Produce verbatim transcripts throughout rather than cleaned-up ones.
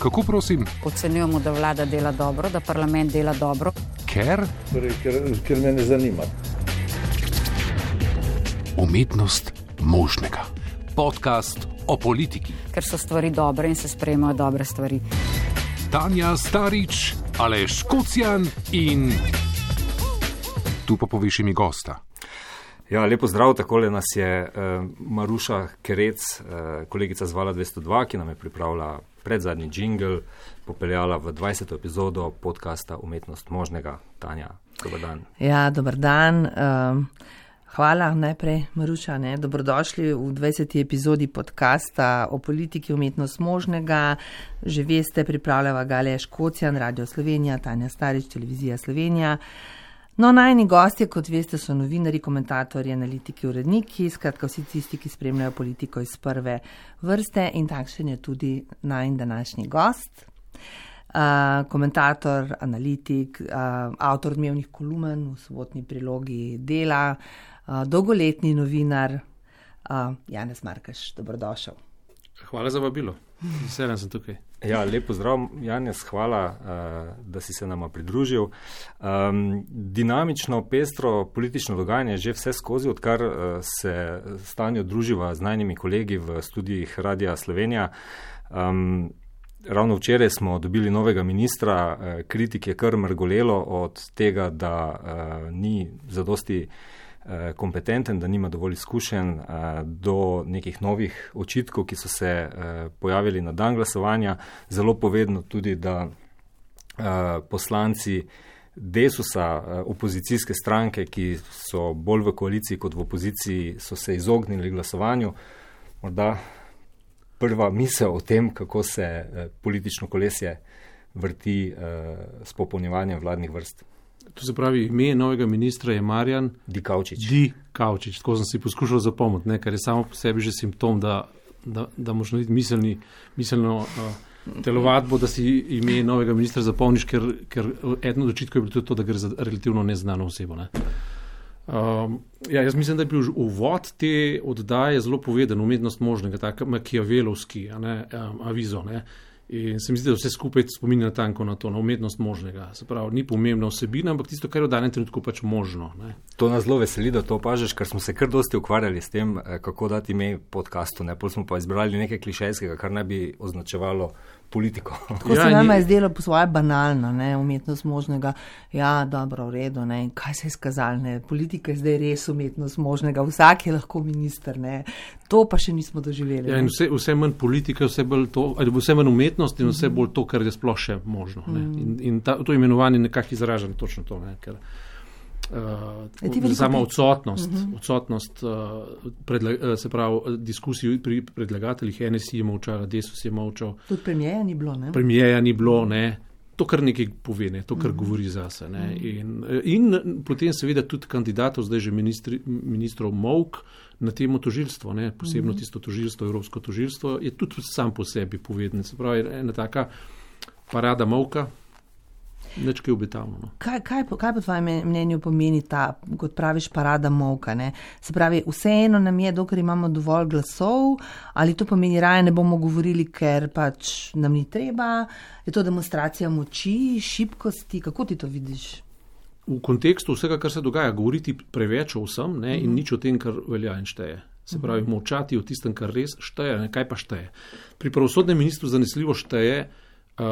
Kako prosim? Ocenjujemo, da vlada dela dobro, da parlament dela dobro. Ker? Torej, ker, ker me ne zanima. Umetnost možnega. Podcast o politiki. Ker so stvari dobre in se sprejemajo dobre stvari. Tanja Starič, Aleš Kocjan in... Tu pa poviš imi gosta. Ja, lepo zdrav, takole nas je uh, Maruša Kerec, uh, kolegica z Vala dvesto dva, ki nam je pripravila predzadnji džingl, popeljala v dvajseto epizodo podcasta Umetnost možnega. Tanja, dober dan. Ja, dober dan. Um, hvala najprej, Maruša. Ne? Dobrodošli v dvajseti epizodi podcasta o politiki Umetnost možnega. Že veste, pripravljava ga Aleš Kocjan, Radio Slovenija, Tanja Starič, Televizija Slovenija. No, najni gostje, kot veste, so novinari, komentatorji, analitiki, uredniki, skratka vsi tisti, ki spremljajo politiko iz prve vrste, in takšen je tudi najin današnji gost. Uh, komentator, analitik, uh, avtor dnevnih kolumen v sobotni prilogi Dela, uh, dolgoletni novinar, uh, Janez Markeš, dobrodošel. Hvala za vabilo. Veselen sem tukaj. Ja, lep pozdrav, Janez, hvala, uh, da si se nama pridružil. Um, dinamično, pestro politično dogajanje že vse skozi, odkar uh, se s Tanjo druživa z najnimi kolegi v studijih Radia Slovenija. Um, ravno včeraj smo dobili novega ministra, uh, kritik je kar mrgolelo od tega, da uh, ni zadosti kompetenten, da nima dovolj izkušenj, do nekih novih očitkov, ki so se pojavili na dan glasovanja. Zelo povedno tudi, da poslanci Desusa, opozicijske stranke, ki so bolj v koaliciji kot v opoziciji, so se izognili glasovanju. Morda prva misel o tem, kako se politično kolesje vrti s popolnjevanjem vladnih vrst. To se pravi, ime novega ministra je Marjan Dikaučič. Dikaučič, tako sem si poskušal zapomniti, ne, kar je samo po sebi že simptom, da, da, da možno biti miselni, miselno uh, telovadbo, da si ime novega ministra zapomniš, ker, ker eno od očitkov je bilo tudi to, da gre za relativno neznano osebo. Ne. Um, ja, jaz mislim, da je bil uvod te oddaje zelo poveden, Umetnost možnega, tako makiavelovski, a ne, um, avizo, ne. In se mi zdi, da vse skupaj spominja tanko na to, na umetnost možnega. Se pravi, ni pomembna vsebina, ampak tisto, kar je v danem trenutku pač možno. Ne. To nas zelo veseli, da to opažaš, ker smo se kar dosti ukvarjali s tem, kako dati ime podcastu. Ne. Pol smo pa izbrali nekaj klišejskega, kar naj bi označevalo politiko. Tako ja, se nama je zdelo po svoje banalno, ne, umetnost možnega. Ja, dobro, v redu, ne. Kaj se je skazalo, ne. Politika je zdaj res umetnost možnega. Vsak je lahko minister, ne. To pa še nismo doživeli. Ja, in vse, vse manj politika, vse, to, vse manj umetnost in vse bolj to, kar je sploh še možno. Ne. In, in ta, to imenovanje nekako izraža točno to, ne, ker uh, sama odsotnost, uh-huh. odsotnost uh, predla, uh, se pravi, diskusij pri predlagateljih, N S I je molčala, Desus je molčal. Tudi premijeja ni bilo, ne? Premijeja ni bilo, ne. To, kar nekaj pove, ne, to, kar uh-huh. govori zase. Ne. In, in potem seveda tudi kandidatov, zdaj že ministri, ministrov Mavk, na temo tožilstvo, ne, posebno tisto tožilstvo, evropsko tožilstvo, je tudi sam po sebi povedan. Se pravi, ena taka parada Mavka, nič kaj obetavno. No. Kaj, kaj, kaj po tvojem mnenju pomeni ta, kot praviš, parada Mavka? Ne? Se pravi, vseeno nam je, dokler imamo dovolj glasov, ali to pomeni, raje ne bomo govorili, ker pač nam ni treba, je to demonstracija moči, šibkosti, kako ti to vidiš? V kontekstu vsega, kar se dogaja, govoriti preveč o vsem, ne, in nič o tem, kar velja in šteje. Se pravi, molčati o tistem, kar res šteje, ne, kaj pa šteje. Pri pravosodnem ministru zanesljivo šteje uh,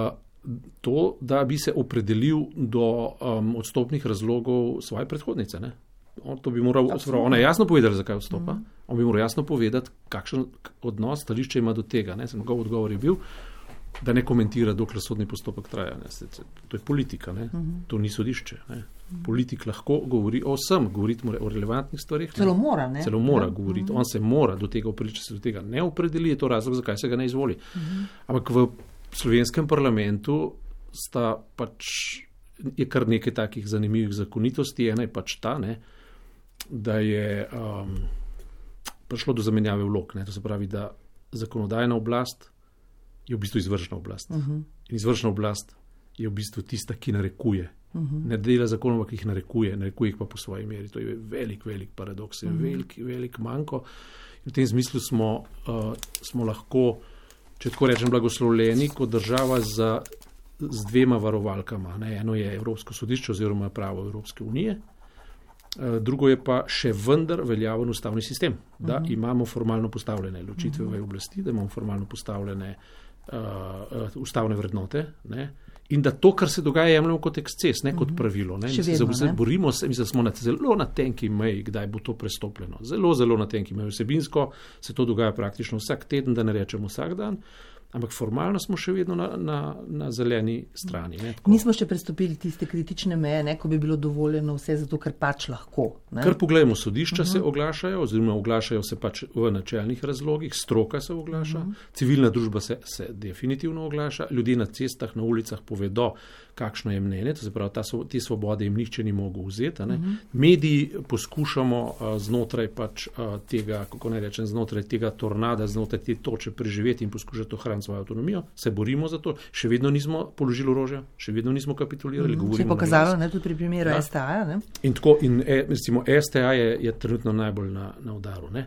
to, da bi se opredelil do um, odstopnih razlogov svoje predhodnice. Ne. On, to bi moral, pravi, ona je jasno povedala, zakaj odstopa. Uh-huh. On bi moral jasno povedati, kakšen odnos, stališče ima do tega. Ne. Njegov odgovor je bil, da ne komentira, dokler sodni postopek traja. Ne. To je politika, ne. Uh-huh. To ni sodišče. Ne. Politik lahko govori o vsem, govoriti mora o relevantnih stvarih. Celo mora, ne? Celo mora ja. govoriti. On se mora do tega opredeliti, če se do tega ne opredeli, je to razlog, zakaj se ga ne izvoli. Uh-huh. Ampak v slovenskem parlamentu sta pač, je kar nekaj takih zanimivih zakonitosti. Ena je pač ta, ne, da je um, prišlo do zamenjave vlog. Ne, to se pravi, da zakonodajna oblast je v bistvu izvršna oblast. Uh-huh. In izvršna oblast je v bistvu tista, ki narekuje. Uh-huh. Ne dela zakonov, ki jih narekuje, narekuje jih pa po svoji meri. To je velik, velik paradoks, uh-huh. velik, velik manko. In v tem smislu smo, uh, smo lahko če tako rečem, blagoslovljeni kot država z, z dvema varovalkama. Ne? Eno je Evropsko sodišče oziroma pravo Evropske unije, drugo je pa še vendar veljaven ustavni sistem, da uh-huh. imamo formalno postavljene ločitve uh-huh. v oblasti, da imamo formalno postavljene uh, uh, ustavne vrednote, ne? In da to, kar se dogaja, jemljamo kot eksces, ne uh-huh. kot pravilo. Ne? Še vedno, se, ne? Borimo se, mislim, smo na zelo na tenki meji, kdaj bo to prestopljeno. Zelo, zelo na tenki meji. Vsebinsko se to dogaja praktično vsak teden, da ne rečemo vsak dan. Ampak formalno smo še vedno na, na, na zeleni strani. Ne, Nismo še prestopili tiste kritične meje, ne, ko bi bilo dovoljeno vse zato, ker pač lahko. Ne? Kar pogledamo, sodišča uh-huh. se oglašajo, oziroma oglašajo se pač v načelnih razlogih, stroka se oglaša, uh-huh. civilna družba se, se definitivno oglaša, ljudje na cestah, na ulicah povedo, kakšno je mnenje, to se pravi, ta, te svobode jim nihče ni mogel vzeti. Ne? Uh-huh. Mediji poskušamo uh, znotraj pač uh, tega, kako naj rečem, znotraj tega tornada, znotraj te toče preživeti in poskušati ohraniti svojo avtonomijo, se borimo za to, še vedno nismo položili orožja, še vedno nismo kapitulirali. Uh-huh. Se je pokazalo, ne, tudi pri primeru ja. S T A. Ne? In tako, in e, recimo, S T A je, je trenutno najbolj na, na udaru, ne?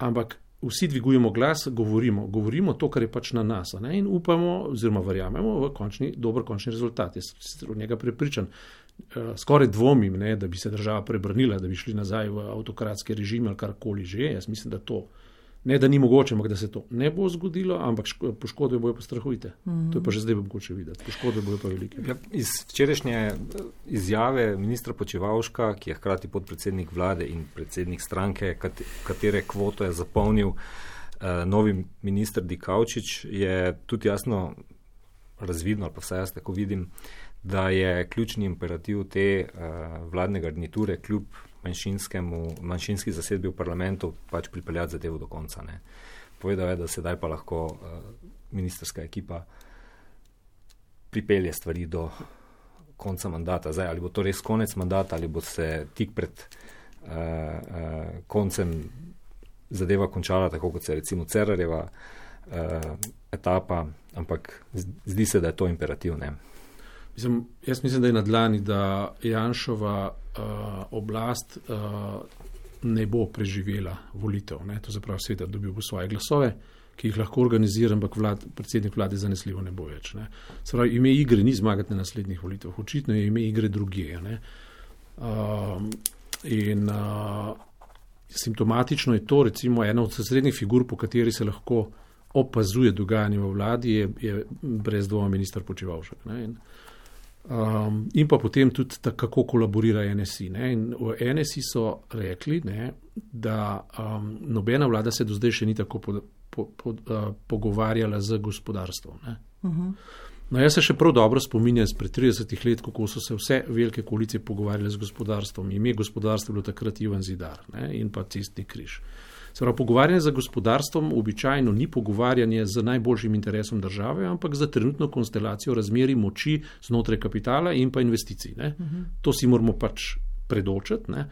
Ampak vsi dvigujemo glas, govorimo, govorimo to, kar je pač na nas, ne? In upamo, oziroma verjamemo v končni, dober končni rezultat. Jaz sem od njega prepričan. Skoraj dvomim, ne, da bi se država prebrnila, da bi šli nazaj v avtokratski režim ali karkoli že. Jaz mislim, da to, ne da ni mogoče, ampak da se to ne bo zgodilo, ampak poškodbe bojo pa strahovite. Mm. To je pa že zdaj mogoče videti. Poškodbe bojo pa velike. Ja, iz včerajšnje izjave ministra Počivalška, ki je hkrati podpredsednik vlade in predsednik stranke, katere kvoto je zapolnil eh, novi minister Dikaučič, je tudi jasno razvidno, ali pa vsaj jaz tako vidim, da je ključni imperativ te uh, vladne garniture kljub manjšinski zasedbi v parlamentu pač pripeljati zadevo do konca. Ne. Povedal je, da sedaj pa lahko uh, ministrska ekipa pripelje stvari do konca mandata. Zdaj, ali bo to res konec mandata, ali bo se tik pred uh, uh, koncem zadeva končala, tako kot se recimo Cerarjeva uh, etapa, ampak zdi se, da je to imperativ. Ne. Mislim, jaz mislim, da je na dlani, da Janšova uh, oblast uh, ne bo preživela volitev. Ne? To zapravi seveda dobil bo svoje glasove, ki jih lahko organizira, ampak vlad, predsednik vlade zanesljivo ne bo več. Ne? Se pravi, ime igre ni zmagati na naslednjih volitev. Očitno je ime igre drugje. Ne? Uh, in uh, simptomatično je to, recimo, ena od srednjih figur, po kateri se lahko opazuje dogajanje v vladi, je, je brez dvoma minister Počivalšek. Ne? In, Um, in pa potem tudi ta, kako kolaborira N S I. Ne? In v N S I so rekli, ne, da um, nobena vlada se do zdaj še ni tako po, po, po, uh, pogovarjala z gospodarstvom. Ne? Uh-huh. No, jaz se še prav dobro spominjam spred tridesetih let, kako so se vse velike koalicije pogovarjale z gospodarstvom. Ime gospodarstva je bilo takrat Ivan Zidar, ne? In pa Cestni križ. Prav, pogovarjanje za gospodarstvom običajno ni pogovarjanje z najboljšim interesom države, ampak za trenutno konstelacijo razmeri moči znotraj kapitala in pa investicij. Ne? Uh-huh. To si moramo pač predočiti. Ne?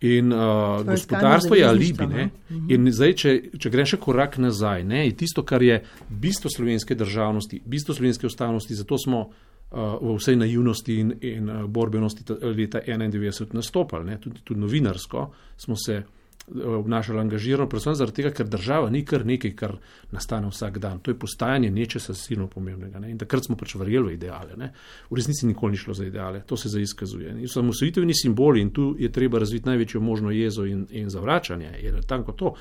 In uh, gospodarstvo je alibi. Ne? Uh-huh. In zdaj, če, če greš še korak nazaj, ne? Je tisto, kar je bistvo slovenske državnosti, bistvo slovenske ustavnosti, zato smo uh, v vsej naivnosti in, in uh, borbenosti leta enaindevetdeset nastopali. Ne? Tudi, tudi novinarsko smo se obnašali angažirano, predvsem zaradi tega, ker država ni kar nekaj, kar nastane vsak dan. To je postajanje nečesa silno pomembnega. Ne? In takrat smo pač verjeli v ideale. Ne? V resnici nikoli ni šlo za ideale. To se zdaj izkazuje. In samosvojitveni simboli, in tu je treba razviti največjo možno jezo in, in zavračanje, je tanko to,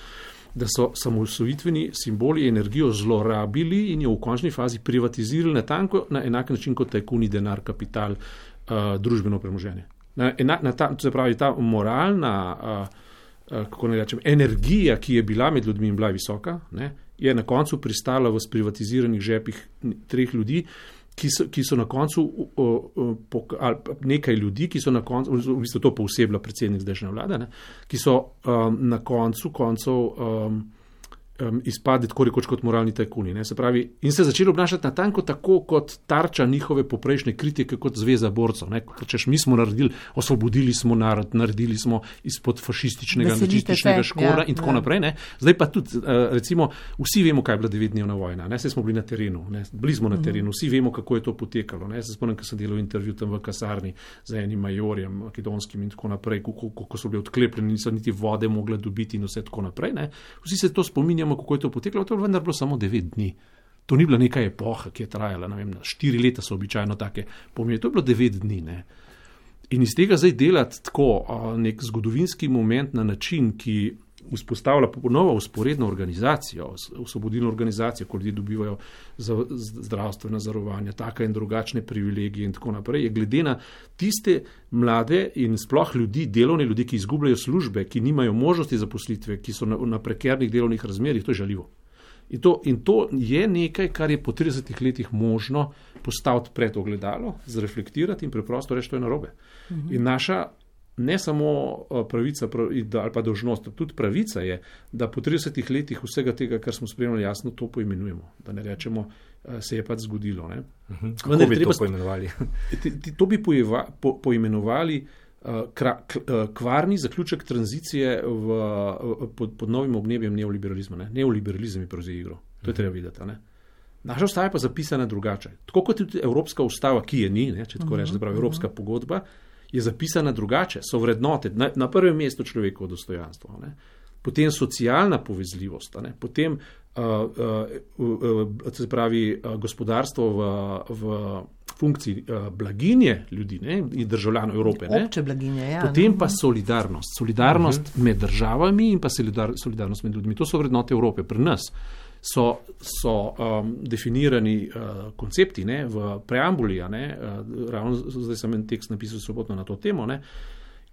da so samosvojitveni simboli energijo zlorabili in jo v končni fazi privatizirali na, tanko, na enak način kot tajkuni, denar, kapital, uh, družbeno premoženje. Na, na, na ta, to se pravi, ta moralna uh, kako ne rečem, energija, ki je bila med ljudmi in bila visoka, ne, je na koncu pristala v sprivatiziranih žepih treh ljudi, ki so, ki so na koncu, o, o, po, ali nekaj ljudi, ki so na koncu, v bistvu to poosebila predsednik zdajšnje vlade, ne, ki so um, na koncu koncev um, um, izpadli tako rekoč kot moralni tajkuni. Ne, se pravi, in se začeli obnašati natanko tako kot tarča njihove poprejšnje kritike, kot zveza borcev. Ne, češ, mi smo naredili, osvobodili smo narod, naredili smo izpod fašističnega, nacističnega škora ja, in tako ja. naprej. Ne. Zdaj pa tudi, recimo, vsi vemo, kaj je bila devetdnevna vojna. Ne, se smo bili na terenu, ne, bili smo na terenu, vsi vemo, kako je to potekalo. Ne. Se spomnim, ko sem delal intervju tam v kasarni z enim majorjem, makedonskim in tako naprej, kako so bili odklepljeni, niso niti vode mogli dobiti in vse tako naprej. Ne. Vsi se to spominjamo pogledamo, kako je to poteklo, to je vendar bilo samo devet dni. To ni bila neka epoha, ki je trajala, ne vem, štiri leta so običajno take pomeni, to je bilo devet dni, ne. In iz tega zdaj delati tako nek zgodovinski moment na način, ki vzpostavlja ponovo usporedno organizacijo, osvobodilno organizacijo, ko ljudje dobivajo zdravstvena zavarovanja, taka in drugačne privilegije in tako naprej, je glede na tiste mlade in sploh ljudi, delovne ljudi, ki izgubljajo službe, ki nimajo možnosti zaposlitve, ki so na, na prekernih delovnih razmerjih, to je žaljivo. In to, in to je nekaj, kar je po tridesetih letih možno postaviti pred ogledalo, zreflektirati in preprosto reči, to je narobe. Mhm. In naša ne samo pravica ali pa dolžnost, tudi pravica je, da po tridesetih letih vsega tega, kar smo spremljali, jasno to poimenujemo. Da ne rečemo, se je pač zgodilo. Ne? Uh-huh. Kako bi to poimenovali? To bi pojeva, po, poimenovali uh, kra, k, uh, kvarni zaključek tranzicije v, uh, pod, pod novim obnebjem neoliberalizma. Ne? Neoliberalizem je prevzel igro. To je treba videti. Ne? Naša ustava je pa zapisana drugače. Tako kot tudi Evropska ustava, ki je ni, ne? Če tako rečem, uh-huh. Evropska pogodba, je zapisana drugače, so vrednote, na, na prvem mestu človekovo dostojanstvo, ne? Potem socialna povezljivost, ne? Potem uh, uh, uh, se pravi uh, gospodarstvo v, v funkciji uh, blaginje ljudi, ne? In državljanov Evrope. Ne? Obče blaginje, ja. Potem pa solidarnost, solidarnost uh-huh. med državami in pa solidar, solidarnost med ljudmi. To so vrednote Evrope pri nas. So, so um, definirani uh, koncepti ne, v preambuli, ne, uh, ravno zdaj sem en tekst napisal sobotno na to temo, ne,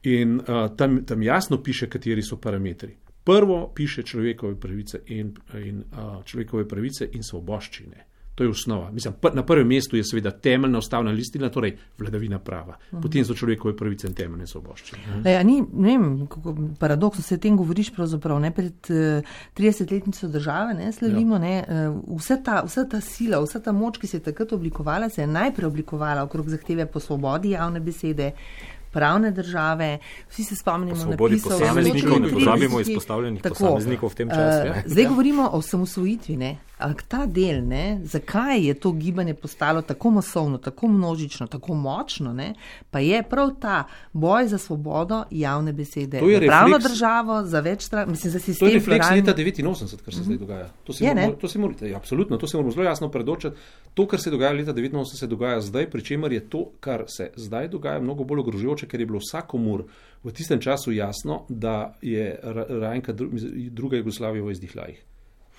in uh, tam, tam jasno piše, kateri so parametri. Prvo piše človekove pravice in, in uh, človekove pravice in svoboščine. To je osnova. Mislim, pr- na prvem mestu je seveda temeljna ustavna listina, torej vladavina prava. Uh-huh. Potem so človekove pravice in temeljne svoboščine. Uh-huh. Ja, ni, ne vem, kako paradoksno se o tem govoriš pravzaprav, ne, pred uh, tridesetletnico države, ne, slavimo, ja. ne, uh, vsa ta, vsa ta sila, vsa ta moč, ki se je takrat oblikovala, se je najprej oblikovala okrog zahteve po svobodi javne besede, pravne države, vsi se spomnimo napisov. Posameznikov, ne pozabimo izpostavljenih posameznikov v tem času. Uh, zdaj govorimo o osamosvojitvi, ne. Ampak ta del, ne, zakaj je to gibanje postalo tako masovno, tako množično, tako močno, ne, pa je prav ta boj za svobodo javne besede. To je refleks, pravno državo, za več stran, mislim, za sistem. To je refleks leta devetinosemdeset, kar se mm-hmm. zdaj dogaja. To se, je, moramo, to se morate, ja, absolutno, to se moramo zelo jasno predočati. To, kar se dogaja leta devetinosemdeset, se dogaja zdaj, pri čemer je to, kar se zdaj dogaja, mnogo bolj ogrožujoče, ker je bilo vsakomur v tistem času jasno, da je Rajnka druga Jugoslavija v izdihljajih.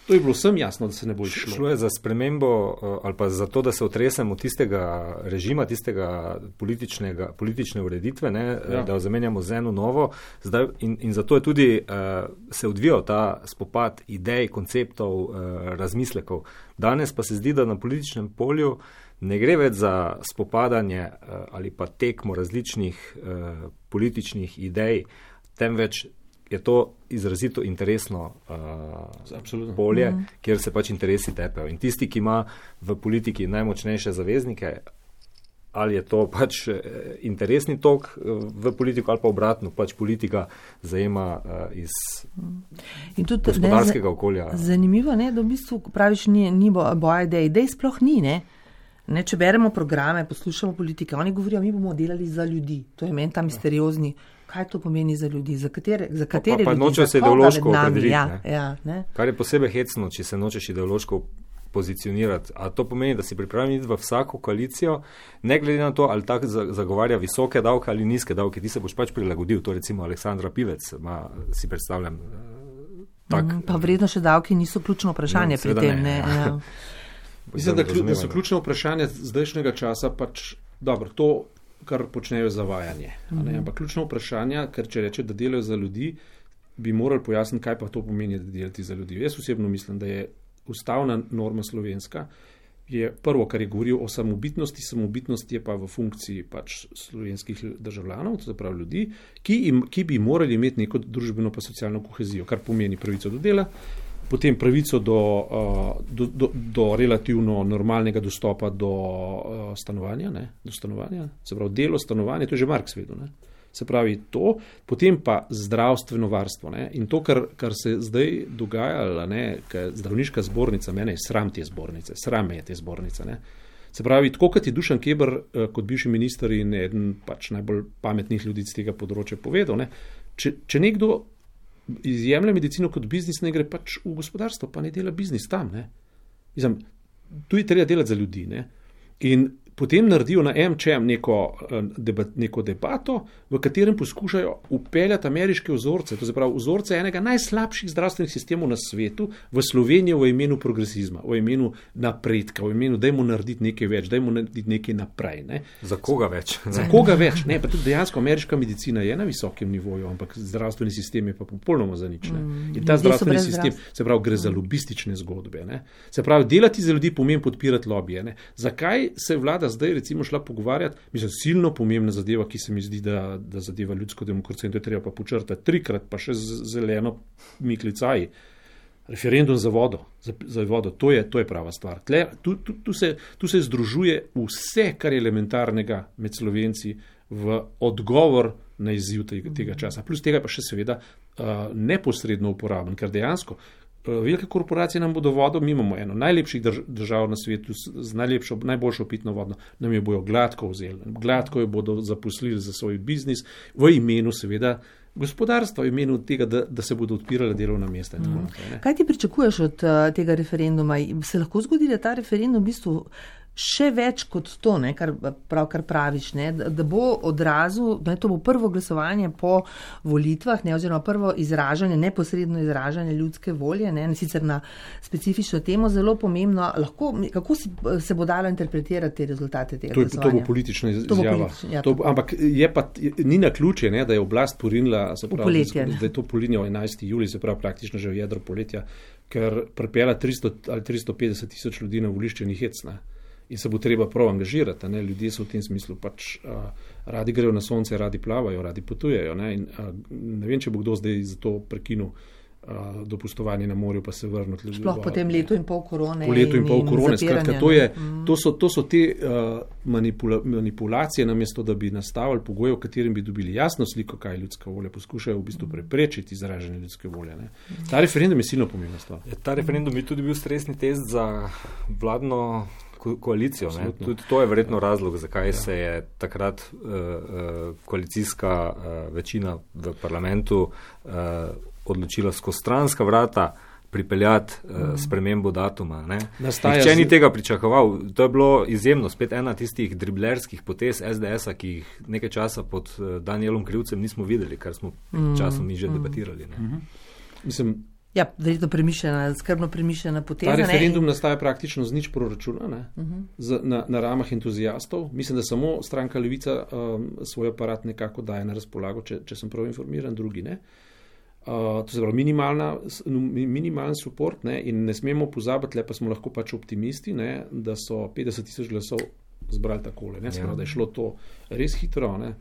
To je bilo vsem jasno, da se ne bo išlo. Šlo je za spremembo ali pa za to, da se otresemo tistega režima, tistega politične ureditve, ne, ja. Da jo zamenjamo z eno novo. Zdaj, in, in zato je tudi uh, se odvijal ta spopad idej, konceptov, uh, razmislekov. Danes pa se zdi, da na političnem polju ne gre več za spopadanje uh, ali pa tekmo različnih uh, političnih idej, temveč je to izrazito interesno uh, polje, mm. kjer se pač interesi tepejo. In tisti, ki ima v politiki najmočnejše zaveznike, ali je to pač interesni tok v politiko, ali pa obratno, pač politika zajema uh, iz in tudi, gospodarskega ne, okolja. Zanimivo, ne, da v bistvu praviš, ni, ni boja idej. Idej sploh ni, ne? Ne, če beremo programe, poslušamo politike, oni govorijo, mi bomo delali za ljudi. To je meni ta misteriozni. Kaj to pomeni za ljudi? Za katere, za katere pa, pa ljudi? Noče se ideološko opredeliti. Ja, ja, ne? Kar je posebej hecno, če se nočeš ideološko pozicionirati. A to pomeni, da si pripravljen iti v vsako koalicijo, ne glede na to, ali tak zagovarja visoke davke ali nizke davke. Ti se boš pač prilagodil. To recimo Aleksandra Pivec, ma, si predstavljam. Tak, mm, pa vredno še davki niso ključno vprašanje no, pri tem. Ne, ne, ja. Mislim, da, da so ključno vprašanje zdajšnjega časa pač, dobro, to kar počnejo zavajanje. Mm-hmm. Ampak ključno vprašanje, ker če reče, da delajo za ljudi, bi morali pojasniti, kaj pa to pomeni, da delati za ljudi. Jaz osebno mislim, da je ustavna norma slovenska, je prvo, kar je govoril o samobitnosti, samobitnost je pa v funkciji pač slovenskih državljanov, to se pravi ljudi, ki, im, ki bi morali imeti neko družbeno pa socialno kohezijo, kar pomeni pravico do dela, potem pravico do, do, do, do relativno normalnega dostopa do stanovanja, ne, do stanovanja, se pravi delo, stanovanje, to je že Marx vedel, ne, se pravi to, potem pa zdravstveno varstvo, ne, in to, kar, kar se zdaj dogaja, ne, zdravniška zbornica, mene je sram te zbornice, sram je te zbornice, ne, se pravi, tako kot je Dušan Keber, kot bivši minister in eden pač najbolj pametnih ljudi z tega področja povedal, ne, če, če nekdo izjemlja medicino kot biznis, ne gre pač v gospodarstvo, pa ne dela biznis tam. Ne. Mislim, tu je treba delati za ljudi. Ne. In potem naredijo na em če em neko, debat, neko debato, v katerem poskušajo upeljati ameriške vzorce, to se pravi vzorce enega najslabših zdravstvenih sistemov na svetu v Slovenijo v imenu progresizma, v imenu napredka, v imenu dajmo narediti nekaj več, dajmo narediti nekaj naprej. Ne. Za koga več? Za koga več? Ne, pa tudi dejansko ameriška medicina je na visokem nivoju, ampak zdravstveni sistem je pa popolnoma za nič. Ne. In ta zdravstveni sistem, se pravi, gre za lobistične zgodbe. Ne. Se pravi, delati za ljudi pomeni podpirati lobije. Ne. Zakaj se vlada zdaj recimo šla pogovarjati, mislim, silno pomembna zadeva, ki se mi zdi, da, da zadeva ljudsko demokracijo in to je treba pa počrtati trikrat, pa še z zeleno miklicaji. Referendum za vodo, za, za vodo, to je, to je prava stvar. Tle, tu, tu, tu, se, tu se združuje vse, kar je elementarnega med Slovenci v odgovor na izziv tega, tega časa. Plus tega pa še seveda uh, neposredno uporaben, ker dejansko velike korporacije nam bodo vodo, mi imamo eno najlepših drž- držav na svetu z najlepšo, najboljšo pitno vodno, nam jo bojo gladko vzeli. Gladko jo bodo zaposlili za svoj biznis v imenu seveda gospodarstva, v imenu tega, da, da se bodo odpirale delovna mesta. In tako naprej, ne. Kaj ti pričakuješ od uh, tega referenduma? Se lahko zgodi, da ta referendum v bistvu še več kot to, ne, kar pravkar praviš, ne, da bo odrazil, da to bo prvo glasovanje po volitvah, ne, oziroma prvo izražanje, neposredno izražanje ljudske volje, ne, sicer na specifično temo, zelo pomembno. Lahko, kako si, se bo dalo interpretirati te rezultate tega to, glasovanja? To bo politična izjava. Politič, ja, to bo, ampak je pa, ni na ključje, ne, da je oblast porinila, se pravi, poletje, da je to polinilo enajstega julija, se pravi praktično že v jedro poletja, ker pripela tristo ali tristo petdeset tisoč ljudi na volišče ni hecna. In se bo treba prav angažirati. Ne? Ljudje so v tem smislu pač uh, radi grejo na sonce, radi plavajo, radi potujejo. Ne, in, uh, ne vem, če bo kdo zdaj za to prekinil uh, dopustovanje na morju, pa se vrnil. Sploh po tem letu in pol korone. Po letu in pol korone. Skratka, to, je, mm. to, so, to so te uh, manipula, manipulacije, namesto da bi nastavili pogoje, v katerim bi dobili jasno sliko, kaj je ljudska volja. Poskušajo v bistvu preprečiti izražanje ljudske volje. Ne. Ta referendum je silno pomembna stvar. Ta referendum bi tudi bil stresni test za vladno koalicijo. Ne? Tudi to je verjetno razlog, zakaj ja. se je takrat uh, uh, koalicijska uh, večina v parlamentu uh, odločila skozi stranska vrata pripeljati uh, spremembo datuma. Nihče ni tega pričakoval. To je bilo izjemno. Spet ena tistih driblerskih potez es de esa, ki jih nekaj časa pod uh, Danielom Krivcem nismo videli, kar smo mm. časom mi že mm. debatirali. Ne? Mm-hmm. Mislim, Ja, verjetno premišljena, skrbno premišljena poteza. Ta referendum ne? nastaja praktično z nič proračuna, ne? Uh-huh. z, na, na ramah entuzijastov. Mislim, da samo stranka Levica um, svoj aparat nekako daje na razpolago, če, če sem prav informiran, drugi ne. Uh, to se pravi minimalen support, ne? In ne smemo pozabiti, le pa smo lahko pač optimisti, ne? Da so petdeset tisoč glasov zbrali takole, ne, sprav, da je šlo to res hitro. Ne.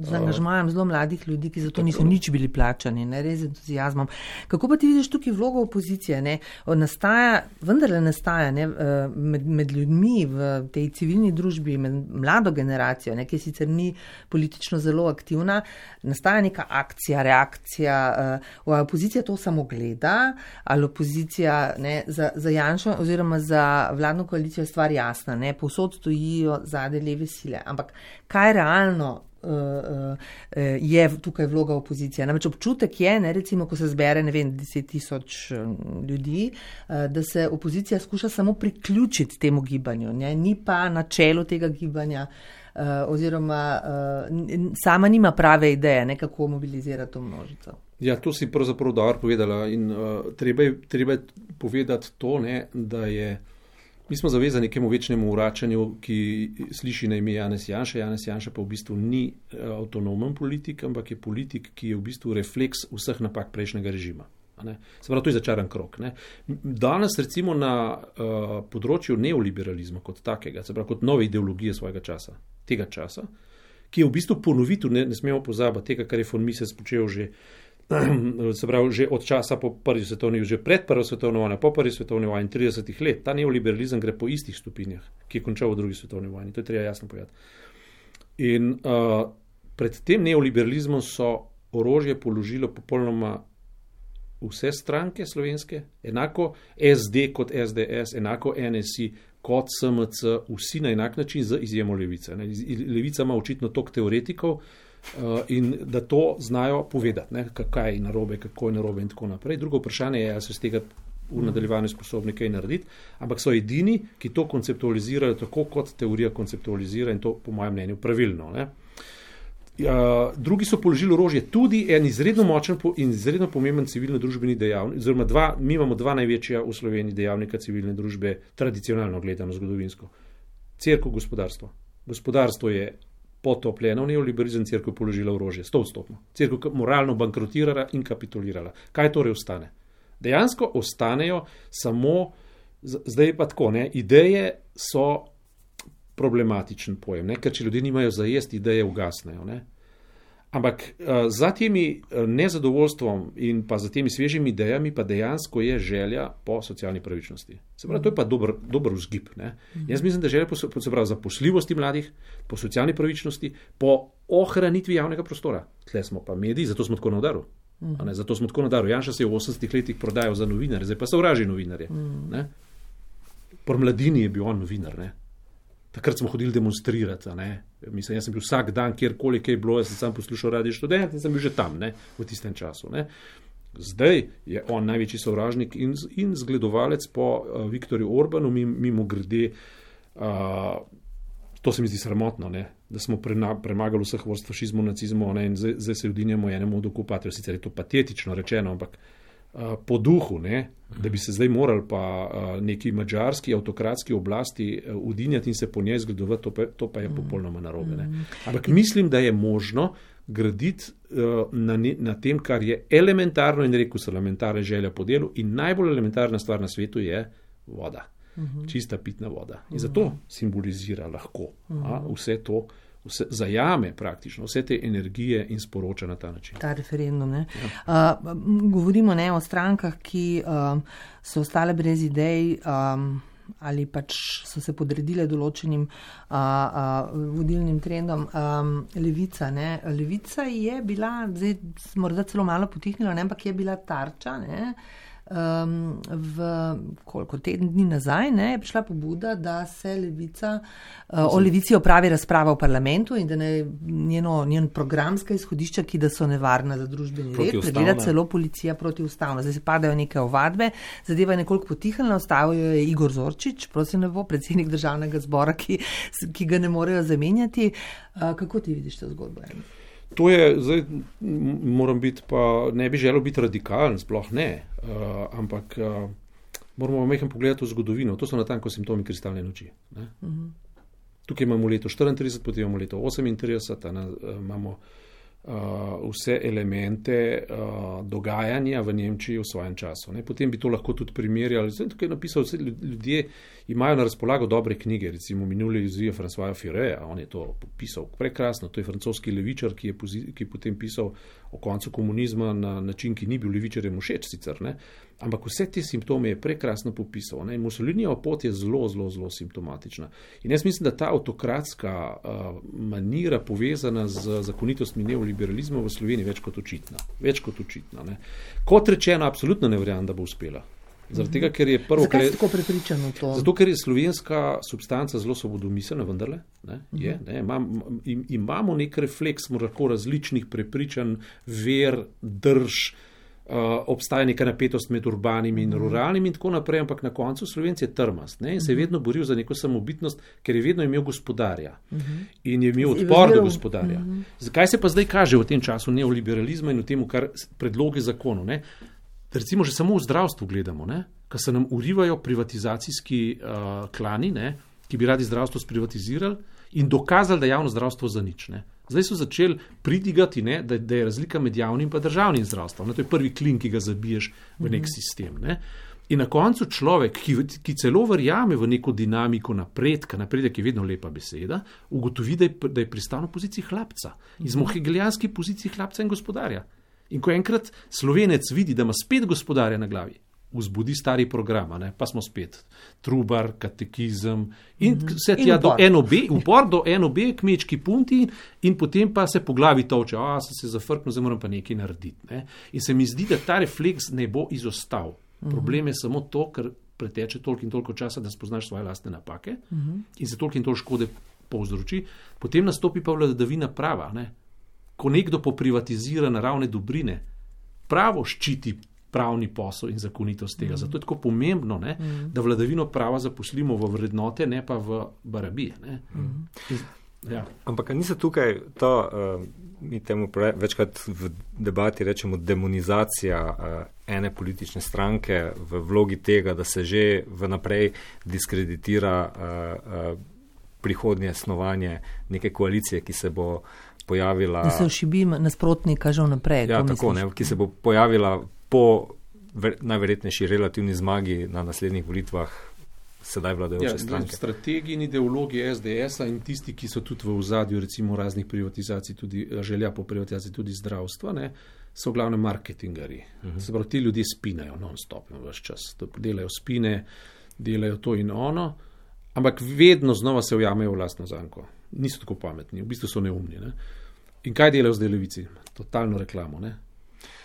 Z angažmajem zelo mladih ljudi, ki zato niso nič bili plačani, ne, res z entuzijazmom. Kako pa ti vidiš tukaj vlogo opozicije? Ne? Nastaja, vendarle nastaja ne, med, med ljudmi v tej civilni družbi, med mlado generacijo, ne, ki sicer ni politično zelo aktivna, nastaja neka akcija, reakcija. Uh, opozicija to samo gleda, ali opozicija ne, za, za Janšo oziroma za vladno koalicijo je stvar jasna, ne, povsod stojijo zadnje leve sile. Ampak kaj realno uh, uh, je tukaj vloga opozicije? Namreč občutek je, ne, recimo, ko se zbere, ne vem, deset tisoč ljudi, uh, da se opozicija skuša samo priključiti temu gibanju, ne, ni pa na čelu tega gibanja uh, oziroma uh, sama nima prave ideje, ne, kako mobilizirati to množico. Ja, to si pravzaprav dobro povedala in uh, treba je, treba je povedati to, ne, da je mi smo zavezani nekemu večnemu vračanju, ki sliši na ime Janez Janša. Janez Janša pa v bistvu ni avtonomen politik, ampak je politik, ki je v bistvu refleks vseh napak prejšnjega režima. Se pravi, to je začaran krog. Ne? Danes recimo na uh, področju neoliberalizma kot takega, se pravi kot nove ideologije svojega časa, tega časa, ki je v bistvu ponovitev, ne, ne smemo pozabiti tega, kar je von Mises počel že se pravi, že od časa po prvi svetovni, že pred prvo svetovno vojno, po prvi svetovni vojni, tridesetih let, ta neoliberalizem gre po istih stopinjah, ki je končal v drugi svetovni vojni. To je treba jasno povedati. In uh, pred tem neoliberalizmom so orožje položilo popolnoma vse stranke slovenske, enako es de kot es de es, enako en es i kot es em ce, vsi na enak način z izjemo Levice. Ne. Levica ima očitno toliko teoretikov, uh, in da to znajo povedati, ne, kaj je narobe, kako je narobe in tako naprej. Drugo vprašanje je, ali so z tega v nadaljevanju sposobni kaj narediti, ampak so edini, ki to konceptualizirajo tako, kot teorija konceptualizira in to po mojem mnenju pravilno. Ne. Uh, drugi so položili orožje, tudi en izredno močen in izredno pomemben civilno-družbeni dejavnik, oziroma dva, mi imamo dva največja v Sloveniji dejavnika civilne družbe, tradicionalno gledano, zgodovinsko. Cerkev, gospodarstvo. Gospodarstvo je potopljeno v neoliberalizem, cerkev položila orožje, sto odstotno. Cerkev moralno bankrotirala in kapitulirala. Kaj torej ostane? Dejansko ostanejo samo, zdaj pa tako, ne, ideje so problematičen pojem, ne, ker če ljudje nimajo za jesti, ideje ugasnejo. Ne. Ampak uh, za temi nezadovoljstvom in pa za temi svežimi idejami pa dejansko je želja po socialni pravičnosti. Se pravi, to je pa dober, dober vzgib. Ne. Jaz mislim, da želja po, se pravi, zaposljivosti mladih, po socialni pravičnosti, po ohranitvi javnega prostora. Tle smo pa mediji, zato smo tako na udaru. Ne, zato smo tako na udaru. Janša se je v osemdesetih letih prodajal za novinarje, zdaj pa sovraži novinarje. Ne. Pri Mladini je bil on novinar, ne. Takrat smo hodili demonstrirati, ne. Mislim, jaz sem bil vsak dan, kjerkoli kaj je bilo, jaz sem sam poslušal Radio Študent in sem bil že tam, ne, v tistem času, ne. Zdaj je on največji sovražnik in, in zgledovalec po uh, Viktorju Orbanu, mimo grede, uh, to se mi zdi sramotno, ne, da smo prena, premagali vseh vrst fašizmu, nacizmu, ne, in zdaj, zdaj se udinjamo enemu od okupatorjev, sicer je to patetično rečeno, ampak uh, po duhu, ne, da bi se zdaj morali pa uh, neki madžarski avtokratski oblasti uh, udinjati in se po njej zgledovati, to pa, to pa je popolnoma narobe. Ne. Ampak mislim, da je možno graditi uh, na, ne, na tem, kar je elementarno in rekel so elementarna želja po delu in najbolj elementarna stvar na svetu je voda. Uhum. Čista pitna voda. In zato simbolizira lahko a, vse to, vse, zajame praktično vse te energije in sporoča na ta način. Ta referendum. Ne? Ja. Uh, govorimo ne, o strankah, ki um, so ostale brez idej um, ali pač so se podredile določenim uh, uh, vodilnim trendom. Um, Levica, ne? Levica je bila, zdaj morda celo malo potihnila, ne? Ampak je bila tarča, ne? Um, v koliko teden dni nazaj ne, je prišla pobuda, da se Levica, uh, o Levici opravi razprava v parlamentu in da ne njeno, njen programska izhodišča, ki da so nevarna za družbeni red, pregleda celo policija protiustavno. Zdaj se padajo neke ovadbe, zadeva je nekoliko potihnila, ostavil je Igor Zorčič, prosim ne bo, predsednik državnega zbora, ki, ki ga ne morejo zamenjati. Uh, kako ti vidiš to zgodbo? To je, zdaj moram biti pa, ne bi želel biti radikalen, sploh ne, uh, ampak uh, moramo mehko pogledati v zgodovino, to so natanko simptomi kristalne noči. Ne? Uh-huh. Tukaj imamo leto štiriintrideset, potem imamo leto osemintrideset, ne, imamo uh, vse elemente uh, dogajanja v Nemčiji v svojem času. Ne? Potem bi to lahko tudi primerjali, zdaj tukaj je napisal, vse ljudje imajo na razpolago dobre knjige, recimo minule izvije Françoisa Fureja, on je to pisal prekrasno, to je francoski levičar, ki je, pozi, ki je potem pisal o koncu komunizma na način, ki ni bil levičarjem všeč sicer, ne? Ampak vse te simptome je prekrasno popisal. Ne? Mussolinijeva pot je zelo, zelo, zelo simptomatična. In jaz mislim, da ta avtokratska uh, manira povezana z zakonitostmi neoliberalizma v Sloveniji več kot očitna. Več kot očitna. Ne? Kot rečeno, absolutno ne verjamem, da bo uspela. Zaradi tega, ker je prvo, Zakaj si tako prepričan v to? Zato, ker je slovenska substanca zelo svobodomiselna, vendarle. Ne? Je, ne? Imam, im, imamo nek refleks, lahko različnih prepričanj, ver, drž, uh, obstaja neka napetost med urbanim in ruralnim in tako naprej, ampak na koncu Slovenci je trmast, ne? In se je vedno boril za neko samobitnost, ker je vedno imel gospodarja in je imel odpor do gospodarja. Zakaj se pa zdaj kaže v tem času neoliberalizma in v tem, kar predloge zakonov, ne? Recimo že samo v zdravstvu gledamo, ne? Ko se nam urivajo privatizacijski uh, klani, ne? Ki bi radi zdravstvo sprivatizirali in dokazali, da je javno zdravstvo za nič. Ne? Zdaj so začeli pridigati, ne? Da, da je razlika med javnim in državnim zdravstvom. Ne? To je prvi klin, ki ga zabiješ v nek sistem. Ne? In na koncu človek, ki, ki celo verjame v neko dinamiko napredka, napredek je vedno lepa beseda, ugotovi, da je, da je pristal na poziciji hlapca. In smo v hegelijanski poziciji hlapca in gospodarja. In ko enkrat Slovenec vidi, da ima spet gospodarja na glavi, vzbudi stari program, ne? Pa smo spet trubar, katekizem in vse tja do eno be, upor do eno be, kmečki punti in potem pa se po glavi toče, a sem se zafrknil, zdaj moram pa nekaj narediti. Ne? In se mi zdi, da ta refleks ne bo izostal. Problem je samo to, ker preteče toliko in toliko časa, da spoznaš svoje lastne napake in se toliko in toliko škode povzroči, potem nastopi pa vladavina prava, ne? ko nekdo poprivatizira naravne dobrine, pravo ščiti pravni posel in zakonitost tega. Mm. Zato je tako pomembno, ne, mm. da vladavino prava zaposlimo v vrednote, ne pa v barabije. Ne. Mm. In, ja. Ampak ni se tukaj to, uh, mi temu pre, večkrat v debati rečemo demonizacija uh, ene politične stranke v vlogi tega, da se že vnaprej diskreditira uh, uh, prihodnje snovanje neke koalicije, ki se bo pojavila... Da se ošibi nasprotnika že vnaprej. Ja, tako, ne, ki se bo pojavila po ver, najverjetnejši relativni zmagi na naslednjih volitvah sedaj vladajoče ja, stranke. Strategiji in ideologiji S D S-a in tisti, ki so tudi v ozadju recimo raznih privatizacij, tudi želja po privatizaciji tudi zdravstva, ne, so glavne marketingarji. Uh-huh. Se pravi, ti ljudje spinajo non-stop na vaš čas. Delajo spine, delajo to in ono, ampak vedno znova se ujamejo v lastno zanko. Niso tako pametni, v bistvu so neumni. Ne. In kaj delajo zdaj levici? Totalno reklamo, ne.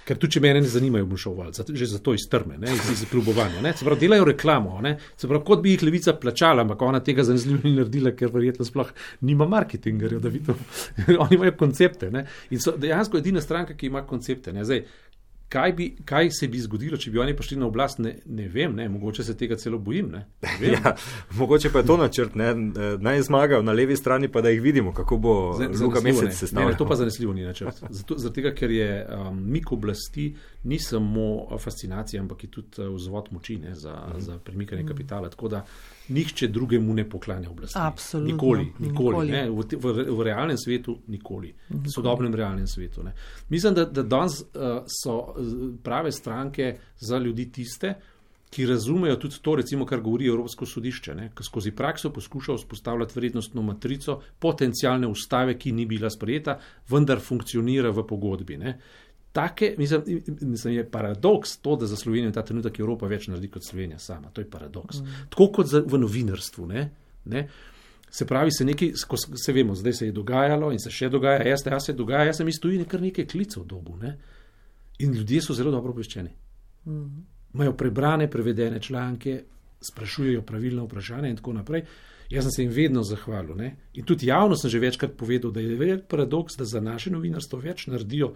Ker tudi, če mene ne zanimajo, bom šel val, že zato iz trme, ne, iz, iz klubovanja. Ne. Se pravi, delajo reklamo, ne. Se pravi, kot bi jih levica plačala, ampak ona tega zanesljivo ni naredila, ker verjetno sploh nima marketingerjev, da vidim. Oni imajo koncepte, ne. In so dejansko edina stranka, ki ima koncepte, ne. Zdaj, kaj, bi, kaj se bi zgodilo, če bi oni prišli na oblast, ne, ne vem, ne. Mogoče se tega celo bojim, ne. ne ja, mogoče pa je to načrt, ne. Naj zmagajo na levi strani, pa da jih vidimo, kako bo Luka Mesec sestavljal. Ne, to pa zanesljivo ni načrt. Zato, zato tega, ker je um, mik oblasti ni samo fascinacija, ampak je tudi vzvod moči, ne, za, mm. za premikanje kapitala. Tako da nihče drugemu ne poklanja oblasti. Absolutno. Nikoli, nikoli. nikoli. Ne, v, v, v realnem svetu nikoli. V sodobnem realnem svetu. Ne. Mislim, da, da danes uh, so prave stranke za ljudi tiste, ki razumejo tudi to, recimo, kar govori Evropsko sodišče, ne, ki skozi prakso poskuša vzpostavljati vrednostno matrico potencialne ustave, ki ni bila sprejeta, vendar funkcionira v pogodbi. Ne. Take, mislim, mislim, je paradoks to, da za Slovenijo ta trenutek Evropa več naredi kot Slovenija sama. To je paradoks. Mm. Tako kot za, v novinarstvu. Ne, ne. Se pravi, se nekaj, ko se vemo, zdaj se je dogajalo in se še dogaja, jaz, jaz se dogaja, jaz sem iz tujine kar nekaj klicev dobu. Ne. In ljudje so zelo dobro obveščeni. Mm. Imajo prebrane, prevedene članke, sprašujejo pravilna vprašanja in tako naprej. Jaz sem se jim vedno zahvalil. Ne? In tudi javno sem že večkrat povedal, da je velik paradoks, da za naše novinarstvo več naredijo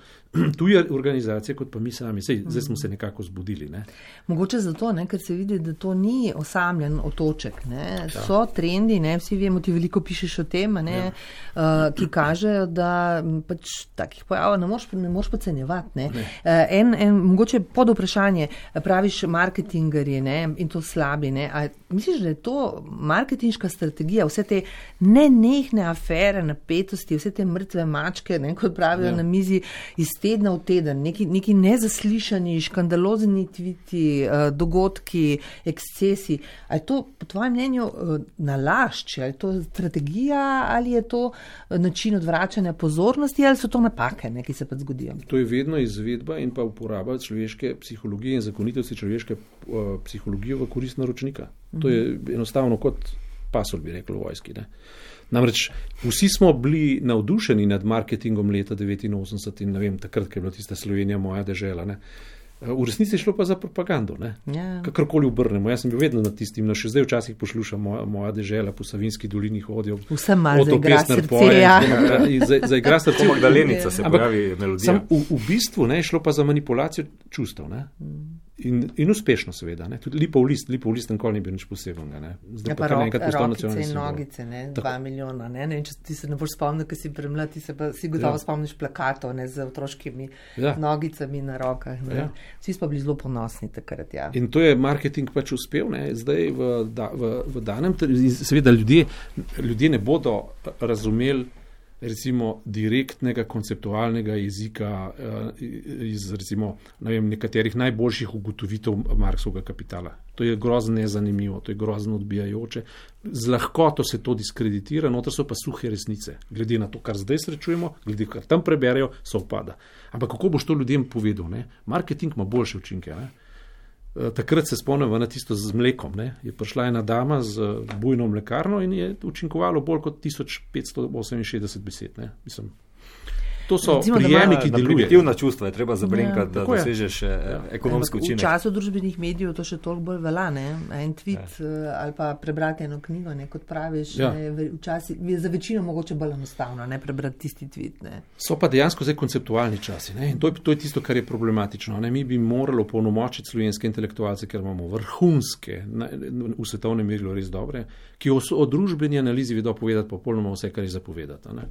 tuje organizacije, kot pa mi sami. Sej, zdaj smo se nekako zbudili. Ne? Mogoče zato, ne, ker se vidi, da to ni osamljen otoček. Ne? Ja. So trendi, ne? Vsi vemo, ti veliko pišeš o tem, ne? Ja. uh, ki kažejo, da pač takih pojavov ne moš, ne moš podcenjevati. Ne? Ne. Uh, en, en, mogoče pod vprašanje, praviš marketingerji, ne? In to slabi. Ne? A misliš, da je to marketinška strategija, vse te nenehne afere, napetosti, vse te mrtve mačke, ne, kot pravijo ja. na mizi, iz tedna v teden, neki, neki nezaslišani, škandalozni tviti, uh, dogodki, ekscesi. A je to po tvojem mnenju uh, nalašč, ali je to strategija, ali je to uh, način odvračanja pozornosti, ali so to napake, ne, ki se pa zgodijo? To je vedno izvedba in pa uporaba človeške psihologije in zakonitosti človeške uh, psihologije v korist naročnika. Mm-hmm. To je enostavno kot pasol, bi rekel v vojski. Ne. Namreč vsi smo bili navdušeni nad marketingom leta devetinosemdeset in ne vem, takrat, ko je bila tista Slovenija moja dežela. Ne. V resnici je šlo pa za propagando. Yeah. Kakorkoli obrnemo. Jaz sem bil vedno nad tistim, no še zdaj včasih poslušam moja, moja dežela po Savinski dolini hodijo. Vsem malo za igra srce, ja. Za, za igra srce. Po Magdalenica se pojavi melodija. Sam, v, v bistvu ne, je šlo pa za manipulacijo čustev. Ne. Mm. In, in uspešno seveda, ne. Tudi Lipov list, Lipov list nikoli ni bil nič posebnega, ne. Zdaj ja, pa, pa rok, rokice in nogice, ne, dva milijona, ne, ne, če ti se ne boš spomnil, ker si premlad, ti se pa si gotovo ja. spomniš plakatov, ne, z otroškimi ja. nogicami na rokah, ne. Ja. Vsi smo bili zelo ponosni takrat, ja. In to je marketing pač uspel, ne, zdaj v, da, v, v danem, seveda ljudje, ljudje ne bodo razumeli recimo direktnega konceptualnega jezika iz recimo ne vem, nekaterih najboljših ugotovitev Marksovega kapitala. To je grozno nezanimivo, to je grozno odbijajoče. Z lahkoto se to diskreditira, noter so pa suhe resnice. Glede na to, kar zdaj srečujemo, glede kar tam preberejo, so upada. Ampak kako boš to ljudem povedal? Ne? Marketing ima boljše učinke. Ne? Takrat se spomnim na tisto z mlekom. Ne? Je prišla ena dama z bujno mlekarno in je učinkovalo bolj kot tisoč petsto oseminšestdeset besed. Ne? Mislim. to so Recimo, da prijemi, ima- ki Na delujejo. primitivna čustva je treba zabrinkati, da tako je. dosežeš eh, ekonomski Ampak v učinek. času družbenih medijev to še toliko bolj velja, ne? En tweet ja. ali pa prebrati eno knjigo, ne, kot praviš, Ja. ne, v- včasih je za večino mogoče bolj enostavno, ne prebrati tisti tweet. Ne. So pa dejansko zdaj konceptualni časi. Ne? In to je, to je tisto, kar je problematično. Ne? Mi bi morali opolnomočiti slovenske intelektualce, ker imamo vrhunske, na, v svetovnem merilu res dobre, ki o, o družbeni analizi vedo povedati popolnoma vse, kar je zapovedati. Ne?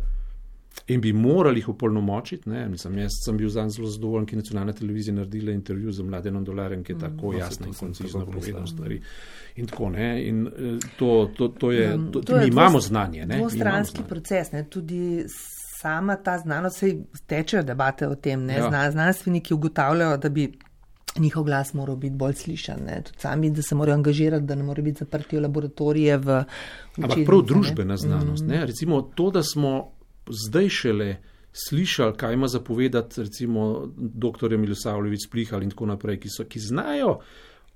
In bi morali jih opolnomočiti. Ne? Mislim, jaz sem bil zanj zelo zadovoljen, ki je nacionalna televizija naredila intervju z Mladenom Dolarjem, ki je tako mm, jasno in koncizno povedal stvari. In tako, ne, in eh, to, to, to je, to, To je mi imamo dvost- znanje. Ne? Mi imamo Dvostranski znanje. proces, ne, tudi sama ta znanost, sej tečejo debate o tem, ne, Ja. Zna, znanstveniki ugotavljajo, da bi njihov glas moral biti bolj slišan, ne, tudi sami, da se morajo angažirati, da ne morajo biti zaprti v laboratorije, v Ampak učilnice, prav ne. družbena znanost. Ne? Recimo to, da smo zdaj šele slišali, kaj ima zapovedati recimo doktorja Milosavljević Splihal in tako naprej, ki, so, ki znajo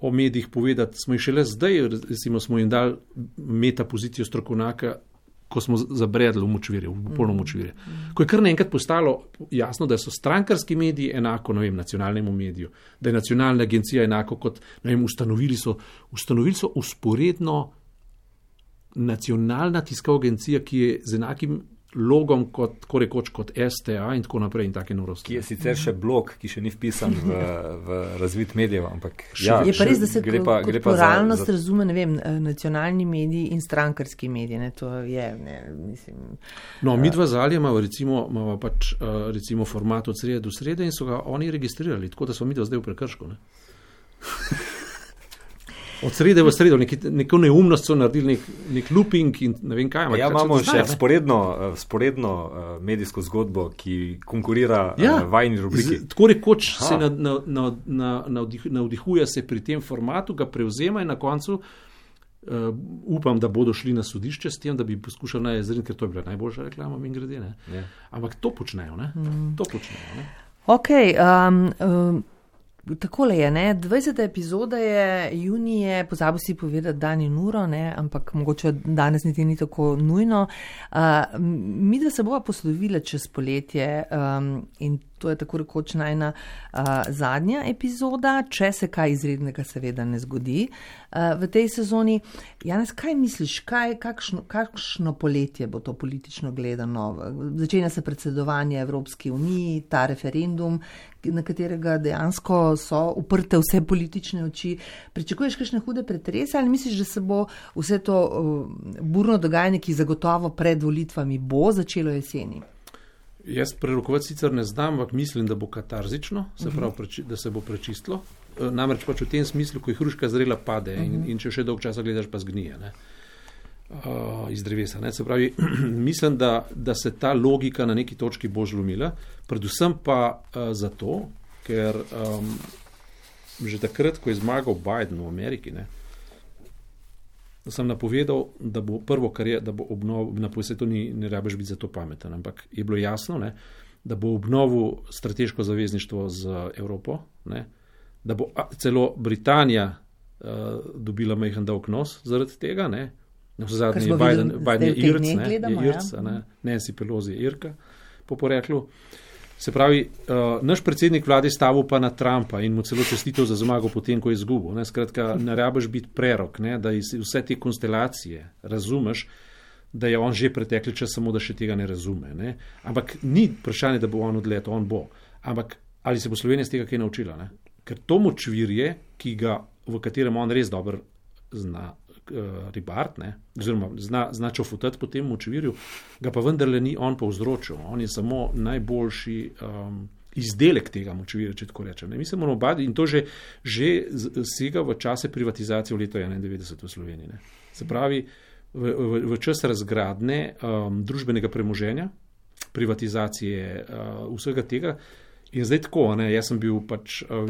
o medijih povedati, smo jih šele zdaj, recimo smo jim dali meta pozicijo strokovnjaka, ko smo zabredli v močvirje, v popolno močvirje. Ko je kar naenkrat postalo jasno, da so strankarski mediji enako, ne vem, nacionalnemu mediju, da je nacionalna agencija enako kot, ne vem, ustanovili so, ustanovili so usporedno nacionalna tiskovna agencija, ki je z enakim logom kot, tako rekoč, kot S T A in tako naprej in take norosti. Ki je sicer še blog, ki še ni vpisan v, v razvit medijev, ampak Še- ja, Je pa res, da se gre kot, pa, kot gre pa za, pluralnost za razume, ne vem, eh, nacionalni mediji in strankarski mediji, ne, to je, ne, mislim, No, mi dva z Alijem imamo recimo, imamo pač, uh, recimo format od srede do srede in so ga oni registrirali, tako da smo mi dva zdaj v prekršku. Ne? Od srede v sredo, neki, neko neumnost so naredili, nek, nek looping in ne vem kaj. ampak Ja, pač imamo to še znajo, ne? sporedno, eh, sporedno eh, medijsko zgodbo, ki konkurira Ja, ja, vajni rubriki. z- tako rekoč Aha. se na, na, na, na, navdih, navdihuje se pri tem formatu, ga prevzema in na koncu uh, upam, da bodo šli na sodišče s tem, da bi poskušali najzrniti, ker to je bila najboljša reklama, min grede. Ne? Ja. Ampak to počnejo, ne? Mm. To počnejo, ne? ok, um, um, takole je, ne, dvajseta epizoda je junije, pozabil si povedati dan in uro, ne, ampak mogoče danes niti ni tako nujno. Uh, mi da se bova poslovila čez poletje um, in to je tako rekoč najna uh, zadnja epizoda, če se kaj izrednega seveda ne zgodi uh, v tej sezoni. Janez, kaj misliš, kaj, kakšno, kakšno poletje bo to politično gledano? Začenja se predsedovanje Evropski uniji, ta referendum, na katerega dejansko so uprte vse politične oči. Pričakuješ kakšne hude pretrese ali misliš, da se bo vse to uh, burno dogajanje, ki zagotovo pred volitvami bo začelo jeseni? Jaz prerokovati sicer ne znam, ampak mislim, da bo katarzično, se pravi, preči, da se bo prečistilo. E, Namreč pač v tem smislu, ko je hruška zrela, pade in, in če še dolg časa gledaš, pa zgnije ne? Uh, iz drevesa. Ne? Se pravi, mislim, da, da se ta logika na neki točki bo žlomila, predvsem pa uh, zato, ker um, že takrat, ko je zmagal Biden v Ameriki, ne, sem napovedal, da bo prvo, kar je, da bo obnov, napovedal, to ni, ne rabiš biti za to pameten, ampak je bilo jasno, ne, da bo obnovil strateško zavezništvo z Evropo, ne, da bo a, celo Britanija uh, dobila majhen dolg nos zaradi tega, ne, na zadnji smo Biden, videli, Biden je zdaj v teh Irc, dneh ne, gledamo, je Irc, ja. ne, Nancy Pelosi je Irka po poreklu. Se pravi, uh, naš predsednik vlade stavil pa na Trumpa in mu celo čestitev za zmago potem, ko je izgubil. Ne? Skratka, ne rabiš biti prerok, ne? Da iz vse te konstelacije razumeš, da je on že pretekli čas, samo da še tega ne razume. Ne? Ampak ni vprašanje, da bo on odletel, on bo. Ampak ali se bo Slovenija z tega kaj naučila? Ne? Ker to močvirje, ki ga, v katerem on res dobro zna uh, ribart, ne? Oziroma zna, zna čofutati po tem močvirju, ga pa vendarle ni on povzročil. On je samo najboljši um, izdelek tega močvirja, če tako rečem. Ne? Mi se moramo bati in to že, že sega v čase privatizacije v leto enaindevetdeset v Sloveniji. Ne? Se pravi, v, v, v čas razgradne um, družbenega premoženja, privatizacije uh, vsega tega. In zdaj tako, ne, jaz sem bil pač, uh,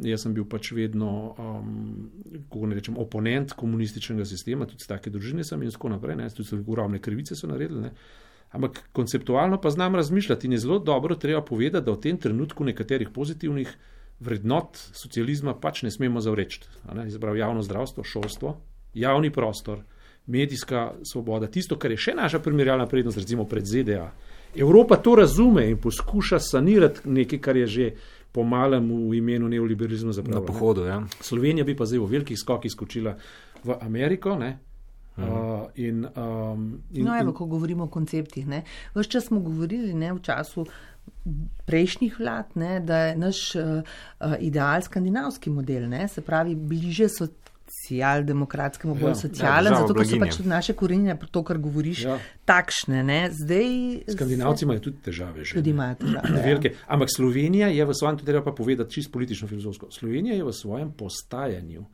jaz sem bil pač vedno, um, kako ne rečem, oponent komunističnega sistema, tudi z take družine sem in tako naprej, ne, tudi ogromne krivice so naredili, ne. Ampak konceptualno pa znam razmišljati in je zelo dobro treba povedati, da v tem trenutku nekaterih pozitivnih vrednot socializma pač ne smemo zavreči. Izbrav javno zdravstvo, šolstvo, javni prostor, medijska svoboda, tisto, kar je še naša primerjalna prednost, recimo pred Z D A, Evropa to razume in poskuša sanirati nekaj, kar je že pomalem v imenu neoliberalizma zapravljeno. Na pohodu, ja. Slovenija bi pa zdaj v velikih skokih skočila v Ameriko, ne? Mhm. Uh, in, um, in, no, evo, in, ko govorimo o konceptih, ne? Ves čas smo govorili, ne, v času prejšnjih vlad, ne, da je naš uh, uh, ideal skandinavski model, ne, se pravi bliže socialdemokratskemu, bolj Ja. socialen, Ja, zato ker so blaginje. pač tudi naše korenine, to, kar govoriš, Ja. takšne. Ne. Zdaj Skandinavci imajo tudi težave že. Tudi imajo težave. Ja. Velike. Ampak Slovenija je v svojem, to treba pa povedati čisto politično filozofsko, Slovenija je v svojem postajanju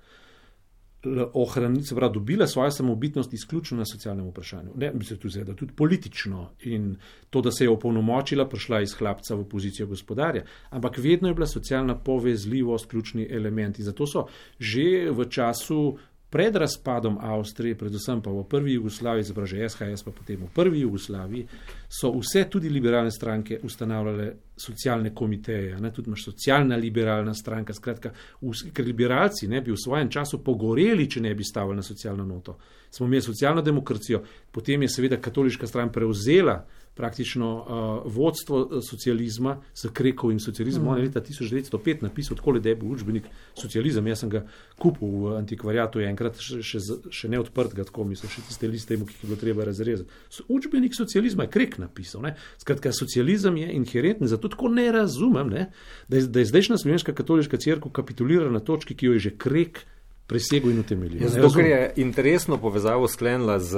ohraniti, se pravi, dobila svojo samobitnost izključno na socialnem vprašanju. Ne, mislim tudi, da tudi politično in to, da se je opolnomočila, prišla iz hlapca v pozicijo gospodarja, ampak vedno je bila socialna povezljivost ključni element in zato so že v času pred razpadom Avstrije, predvsem pa v prvi Jugoslaviji, zapravo že S H S pa potem v prvi Jugoslaviji, so vse tudi liberalne stranke ustanavljale socialne komiteje, ne, tudi imaš socialna liberalna stranka, skratka, vs, ker liberalci ne bi v svojem času pogoreli, če ne bi stavili na socialno noto. Smo imeli socialno demokracijo, potem je seveda katoliška stran prevzela praktično uh, vodstvo socializma s Krekovim socializmom. Mm. On je leta tisoč devetsto pet napisal takole, da je bil učbenik socializem. Jaz sem ga kupil v antikvariatu, je enkrat še, še, še ne odprt ga tako, mislim, še tiste liste, ki jih je bilo treba razrezati. Učbenik socializma je Krek napisal. Ne? Skratka, socializem je inherenten, zato tako ne razumem, ne? Da, je, da je zdajšnja slovenska katoliška cerkev kapitulirala na točki, ki jo je že Krek presegel in utemeljil. Ja, zato, ker je interesno povezavo sklenila z,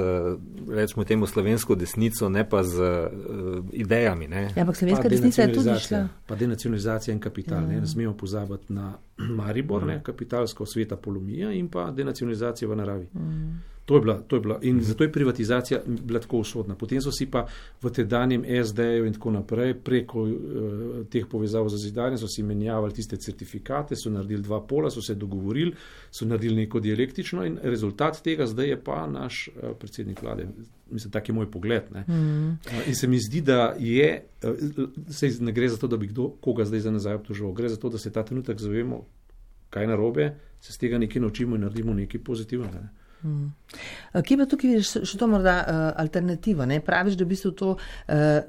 rečemo temu, slovensko desnico, ne pa z uh, idejami. Ne? Ja, ampak slovenska desnica je tudi šla. Pa denacionalizacija in kapital. Ja. Ne, ne smemo pozabiti na Maribor, ja. ne, kapitalsko sveta polomija in pa denacionalizacija v naravi. Ja. To je bila, to je bila. In zato je privatizacija bila tako usodna. Potem so si pa v tedanjem S D-ju in tako naprej preko uh, teh povezav za zidanje so si menjavali tiste certifikate, so naredili dva pola, so se dogovorili, so naredili neko dialektično in rezultat tega zdaj je pa naš uh, predsednik vlade. Mislim, tak je moj pogled. Ne. Mm. Uh, in se mi zdi, da je, uh, se ne gre za to, da bi kdo koga zdaj za nazaj obtoževal. Gre za to, da se ta trenutek zavemo, kaj narobe, se z tega nekaj naučimo in naredimo nekaj pozitivnega. Ne. Hmm. Kje pa tukaj vidiš še to morda uh, alternativo? Ne? Praviš, da v bistvu to, uh,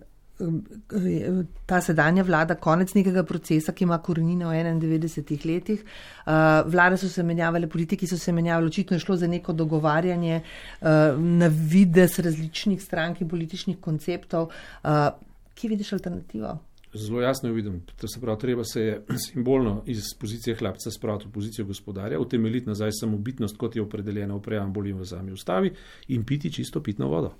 ta sedanja vlada konec nekega procesa, ki ima korenine v enaindevetdesetih letih. Uh, vlade so se menjavale, politiki so se menjavali, očitno je šlo za neko dogovarjanje uh, na vides različnih strank in političnih konceptov. Uh, kje vidiš alternativo? Zelo jasno jo vidim. To se pravi, treba se je simbolno iz pozicije hlapca spraviti v pozicijo gospodarja, utemeljiti nazaj samobitnost, kot je opredeljena v preambuli in v sami ustavi in piti čisto pitno vodo.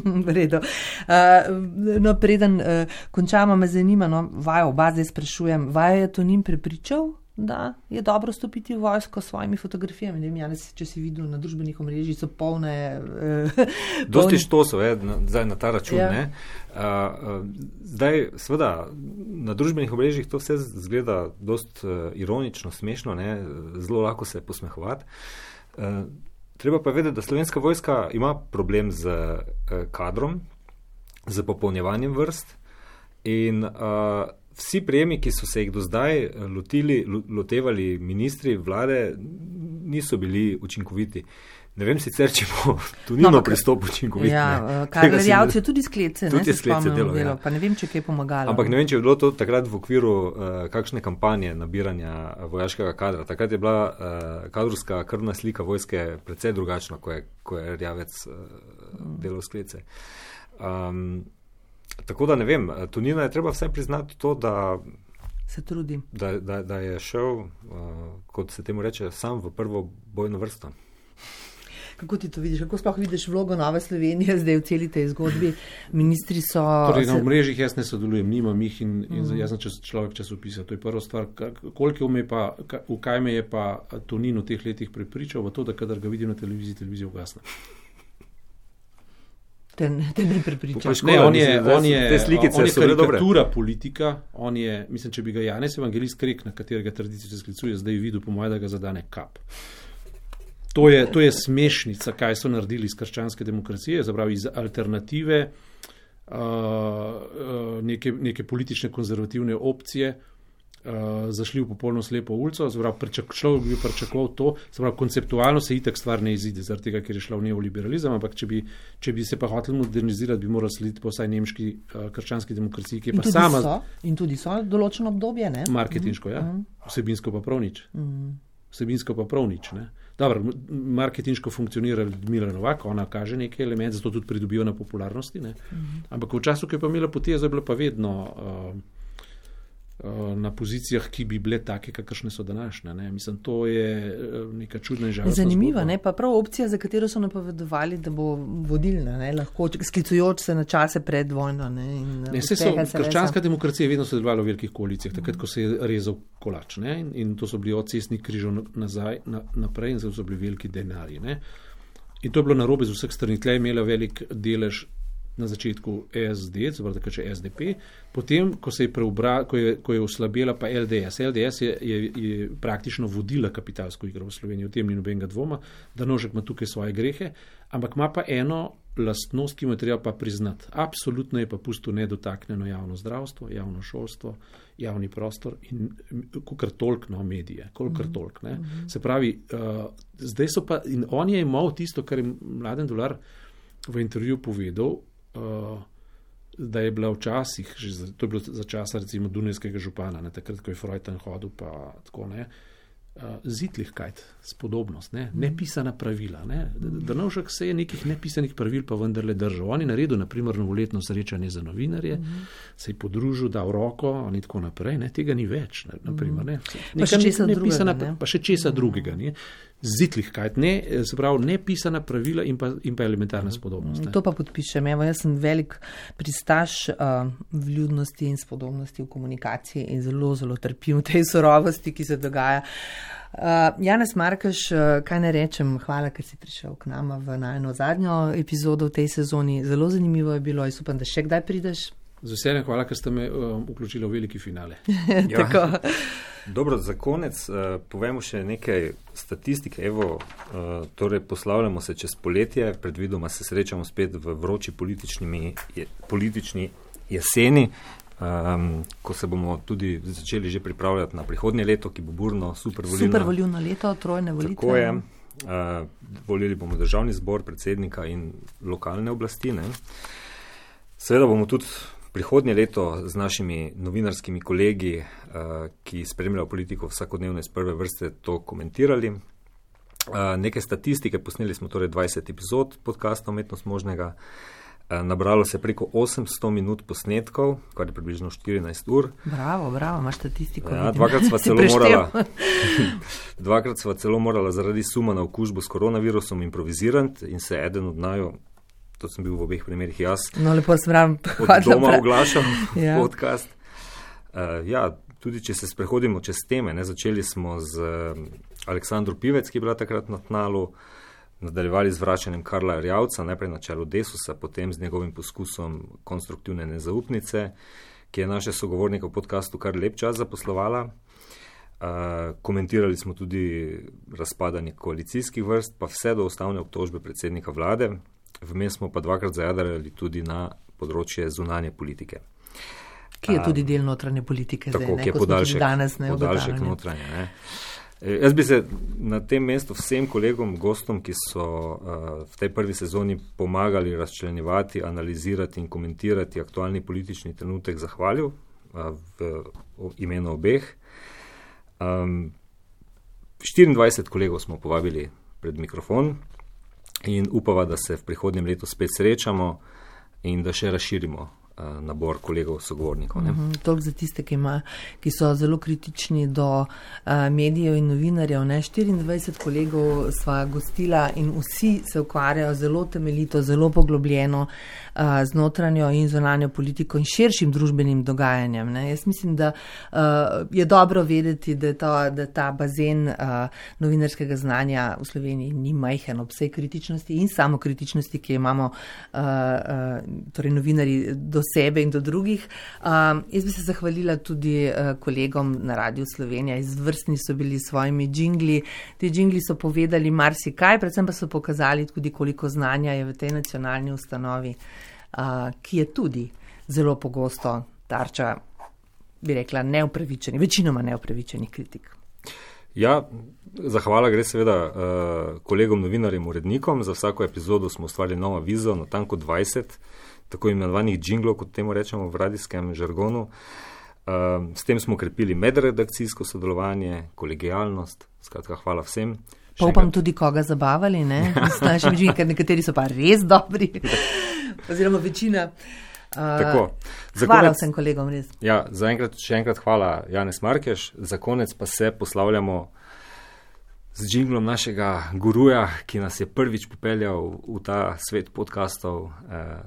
V redu. Uh, no, preden uh, končamo, me zanima, no, vajo oba zdaj sprašujem, vajo je Tonin prepričal, da je dobro stopiti v vojsko s svojimi fotografijami? Ne vem, Janez, če si videl na družbenih omrežjih, so polne... Uh, Dosti štosov je zdaj na ta račun. Ja. Ne? Uh, uh, zdaj, seveda, na družbenih omrežjih to vse zgleda dost uh, ironično, smešno, ne? Zelo lahko se posmehovati. Uh, treba pa vedeti, da slovenska vojska ima problem z uh, kadrom, z popolnjevanjem vrst in uh, vsi prijemi, ki so se jih do zdaj lotili, lotevali ministri vlade, niso bili učinkoviti. Ne vem sicer, če bo Tonino no, pristop učinkovit. Ja, Karel Jauc je tudi sklece, ne, tudi se spomnim delo, delo, ja. Pa ne vem, če kaj pomagalo. Ampak ne vem, če je bilo to takrat v okviru uh, kakšne kampanje nabiranja vojaškega kadra. Takrat je bila uh, kadrovska krvna slika vojske precej drugačna, ko je, ko je Rjavec uh, delal sklece. Um, Tako da ne vem, Tonina je treba vsaj priznati to, da, se trudi. Da, da, da je šel, uh, kot se temu reče, sam v prvo bojno vrsto. Kako ti to vidiš? Kako sploh vidiš vlogo Nove Slovenije zdaj v celi tej zgodbi? Ministri so... Torej, na omrežjih jaz ne sodelujem, nimam jih in, in mm. jaz sem čas, človek časopisa. To je prva stvar. Koliko me pa, v kaj me je pa Tonin v teh letih prepričal, v to, da kadar ga vidim na televiziji, televizija ugasne. Te, te ne prepričam. Ne, on je, on je, te slikice on je so bile dobre. Karikatura politika, on je, mislim, če bi ga Janez Evangelist Krek, na katerega tradicijo se sklicuje, zdaj videl, po mojem, da ga zadane kap. To je, to je smešnica, kaj so naredili iz krščanske demokracije, zapravi iz alternative, uh, uh, neke, neke politične konzervativne opcije, Uh, zašli v popolno slepo ulico, človek bi pričakoval to, pravi, konceptualno se itak stvar ne izide, zaradi tega, ker je šla v neoliberalizem, ampak če bi, če bi se pa hoteli modernizirati, bi morali slediti po vsaj nemški uh, krščanski demokraciji, ki je in pa sama... So, in tudi so določeno obdobje, ne? Marketinško, ja. Mm. Vsebinsko pa prav nič. Mm. Vsebinsko pa prav nič, ne. Dobro, marketinško funkcionira Ljudmila Novak, ona kaže nekaj element, zato tudi pridobijo na popularnosti, ne. Mm. Ampak v času, ki je pa imela potezo, je bila pa vedno... Uh, na pozicijah, ki bi bile take, kakršne so današnje. Ne? Mislim, to je neka čudna in žalostna zgodba. Zanimiva, ne? Pa prav opcija, za katero so napovedovali, da bo vodilna, ne? Lahko sklicujoč se na čase pred vojno. Ne? In ne, se so, krščanska demokracija je vedno sodelovala v velikih koalicijah, takrat, ko se je rezal kolač. Ne? In to so bili od cestnih križov nazaj, na, naprej in so bili veliki denarji. Ne? In to je bilo narobe z vseh strani. Tle je imela velik delež na začetku S D, zapravo takrat še S D P, potem, ko se je preobra, ko je, ko je oslabela pa L D S. L D S je, je, je praktično vodila kapitalsko igro v Sloveniji, o tem ni nobenega dvoma, da Nožek ima tukaj svoje grehe, ampak ima pa eno lastnost, ki mu je treba pa priznati. Absolutno je pa pustil nedotaknjeno javno zdravstvo, javno šolstvo, javni prostor in kolikor toliko, no, medije, kolikor toliko, ne. Se pravi, uh, zdaj so pa, in on je imel tisto, kar je Mladen Dolar v intervju povedal, Uh, da je bila včasih, že za, to je bilo za časa recimo Dunajskega župana, ne, takrat, ko je Freuten hodil, pa tako ne, uh, Zitlihkajt, spodobnost, ne, nepisana pravila. Ne. Drnovšek se je nekih nepisanih pravil pa vendarle držal. On je naredil, naprimer, novoletno srečanje za novinarje, mm. se je podružil, dal roko in tako naprej, ne, tega ni več, ne, naprimer, ne. Pa še česa nepisana, drugega, ne? Pa še česa drugega, ne. Zitlihkajt, ne, se pravi, nepisana pravila in pa, in pa elementarna spodobnost. Ne. To pa podpišem. Evo, jaz sem velik pristaš uh, vljudnosti in spodobnosti v komunikaciji in zelo, zelo trpim v tej surovosti, ki se dogaja. Uh, Janez Markeš, uh, kaj ne rečem, hvala, ker si prišel k nama v najno zadnjo epizodo v tej sezoni. Zelo zanimivo je bilo, jaz upam, da še kdaj prideš. Z veseljem, hvala, ker ste me uh, vključili v veliki finale. Ja. Dobro, za konec uh, povemo še nekaj statistike. Evo, uh, torej poslavljamo se čez poletje, predvidoma se srečamo spet v vroči je, politični jeseni, um, ko se bomo tudi začeli že pripravljati na prihodnje leto, ki bo burno, supervoljivno. Supervoljivno leto, trojne volitve. Tako je. Uh, volili bomo državni zbor, predsednika in lokalne oblasti. Ne? Seveda bomo tudi prihodnje leto z našimi novinarskimi kolegi, uh, ki spremljajo politiko vsakodnevno iz prve vrste, to komentirali. Uh, nekaj statistike, posneli smo torej dvajset epizod podcasta Umetnost možnega. Uh, nabralo se preko osemsto minut posnetkov, kar je približno štirinajst ur. Bravo, bravo, imaš statistiko. Ja, dvakrat sva celo morala, dvakrat sva celo morala zaradi suma na okužbo s koronavirusom improvizirati in se eden od naju, to sem bil v obeh primerih jaz, no, lepo sem ravno od doma oglašal ja. podcast. Uh, ja, tudi če se sprehodimo čez teme, ne, začeli smo z uh, Aleksandro Pivec, ki je bila takrat na tnalu, nadaljevali z vračanjem Karla Erjavca, najprej na čelu Desusa, potem z njegovim poskusom konstruktivne nezaupnice, ki je naše sogovornike v podcastu kar lep čas zaposlovala. Uh, komentirali smo tudi razpadanje koalicijskih vrst, pa vse do ustavne obtožbe predsednika vlade. Vmes smo pa dvakrat zajadrali tudi na področje zunanje politike. Ki je tudi del notranje politike. Tako, zdaj, ki je podaljšek, danes, ne, podaljšek notranje. Ne. E, jaz bi se na tem mestu vsem kolegom, gostom, ki so uh, v tej prvi sezoni pomagali razčlenjevati, analizirati in komentirati aktualni politični trenutek, zahvalil uh, v, v imenu obeh. Um, štiriindvajset kolegov smo povabili pred mikrofon. In upava, da se v prihodnjem letu spet srečamo in da še razširimo uh, nabor kolegov, sogovornikov. Ne? Mm-hmm, toliko za tiste, ki, ima, ki so zelo kritični do uh, medijev in novinarjev. Ne? štiriindvajset kolegov sva gostila in vsi se ukvarjajo zelo temeljito, zelo poglobljeno uh, z notranjo in zunanjo politiko in širšim družbenim dogajanjem. Ne? Jaz mislim, da uh, je dobro vedeti, da, to, da ta bazen uh, novinarskega znanja v Sloveniji ni majhen ob vsej kritičnosti in samokritičnosti, ki imamo uh, uh, torej novinarji do sebe in do drugih. Uh, jaz bi se zahvalila tudi uh, kolegom na Radiu Slovenija. Izvrstni so bili s svojimi džingli. Ti džingli so povedali marsikaj, predvsem pa so pokazali tudi, koliko znanja je v tej nacionalni ustanovi, uh, ki je tudi zelo pogosto tarča bi rekla, neupravičenih, večinoma neupravičenih kritik. Ja, zahvala gre seveda uh, kolegom novinarjem, urednikom. Za vsako epizodo smo ustvarili novo vizo, natanko dvajset, tako imenovanih džinglov, kot temu rečemo v radijskem žargonu. Uh, s tem smo krepili medredakcijsko sodelovanje, kolegijalnost, skratka hvala vsem. Pa upam tudi koga zabavali, ne? S našimi džingli, ker nekateri so pa res dobri, oziroma večina. Uh, hvala konec, vsem kolegom, res. Ja, zaenkrat še enkrat hvala Janez Markeš, za konec pa se poslavljamo z džinglom našega guruja, ki nas je prvič popeljal v ta svet podcastov, eh,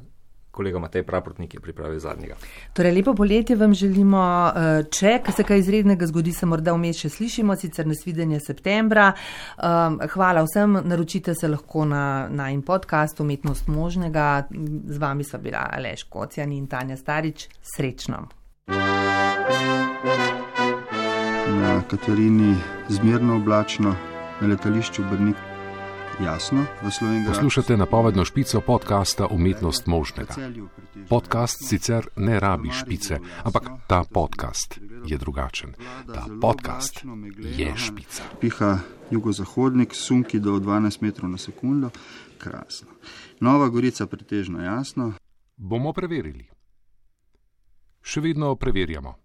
kolega Matej Praprotnik je pripravil zadnjega. Torej, lepo poletje vam želimo, če se kaj izrednega zgodi, se morda vmes še slišimo, sicer nasvidenje septembra. Hvala vsem, naročite se lahko na najin podcast Umetnost možnega. Z vami sva bila Aleš Kocjan in Tanja Starič. Srečno. Na Katarini zmerno oblačno, na letališču Brnik jasno. Poslušate napovedno špico podcasta Umetnost možnega. Podcast sicer ne rabi špice, ampak ta podcast je drugačen. Ta podcast je špica. Piha jugozahodnik, sunki do dvanajst metrov na sekundo. Krasno. Nova Gorica pretežno jasno. Bomo preverili. Še vedno preverjamo.